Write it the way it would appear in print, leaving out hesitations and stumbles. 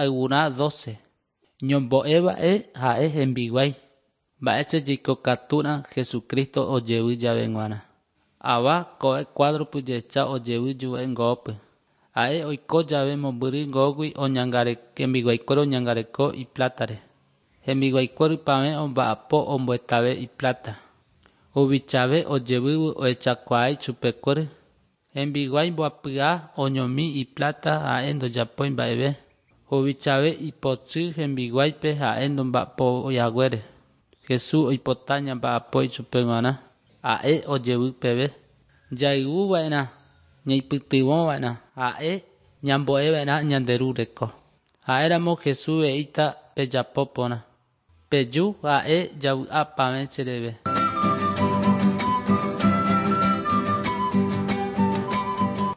Ayvurã 12. Ñombo'eva'e ha'e hembiguái. Mba'éicha jaikokatúrã Jesucristo ojevy jave g̃uarã. Ava ko'e cuadro-pe jehecha ojevy juve ngópy. Ha'e oiko jave mombyry ngógui hembiguaikuéra oñangareko iplátare. Hembiguaikuéra ypavẽ omba'apo ombohetave ipláta. Huvichave ojevývo ohechakuaa ichupekuéra. Hembiguái mbohapyha oñomi ipláta ha'e ndojapói mba'eve. Huvichave ipochy hembiguáipe ha'e nomba'apoihaguére. Jesús oipota ñamba'apo ichupe g̃uarã ha'e ojevy peve. Jayvuva'erã, ñaipytyvõva'erã, ha'e ñambo'eva'erã ñande Ru reko. Ha'éramo Jesús he'íta pejapo porã. Peju ha'e javy'apavẽ chereve.